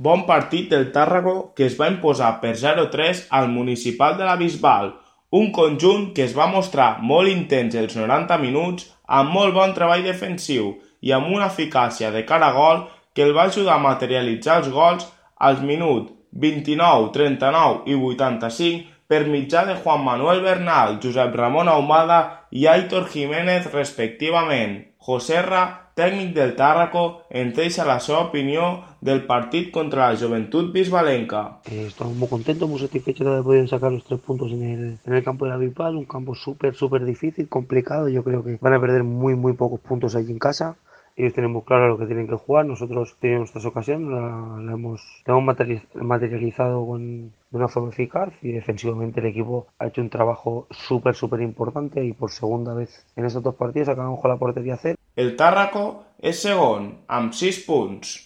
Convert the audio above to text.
Bon partit del Tàrraco que es va imposar per 0-3 al Municipal de la Bisbal, un conjunt que es va mostrar molt intens els 90 minuts amb molt bon treball defensiu i amb una eficàcia de cara a gol que el va ajudar a materialitzar els gols als minuts 29, 39 i 85 per mitjà de Juan Manuel Bernal, Josep Ramon Ahumada i Aitor Jiménez respectivament. Joserra, tècnic del Tàrraco, ens deixa la seva opinió del partit contra la Joventut Bisbalenca. Estamos muy contentos, muy satisfechos de haber podido sacar los 3 puntos en el campo de la Bisbal, un campo súper difícil, complicado. Yo creo que van a perder muy pocos puntos allí en casa. Ellos tienen muy claro lo que tienen que jugar. Nosotros tenemos nuestras ocasiones, la hemos materializado de una forma eficaz, y defensivamente el equipo ha hecho un trabajo súper importante, y por segunda vez en estos 2 partidos acabamos con la portería cero. El Tàrraco és segon, amb 6 punts.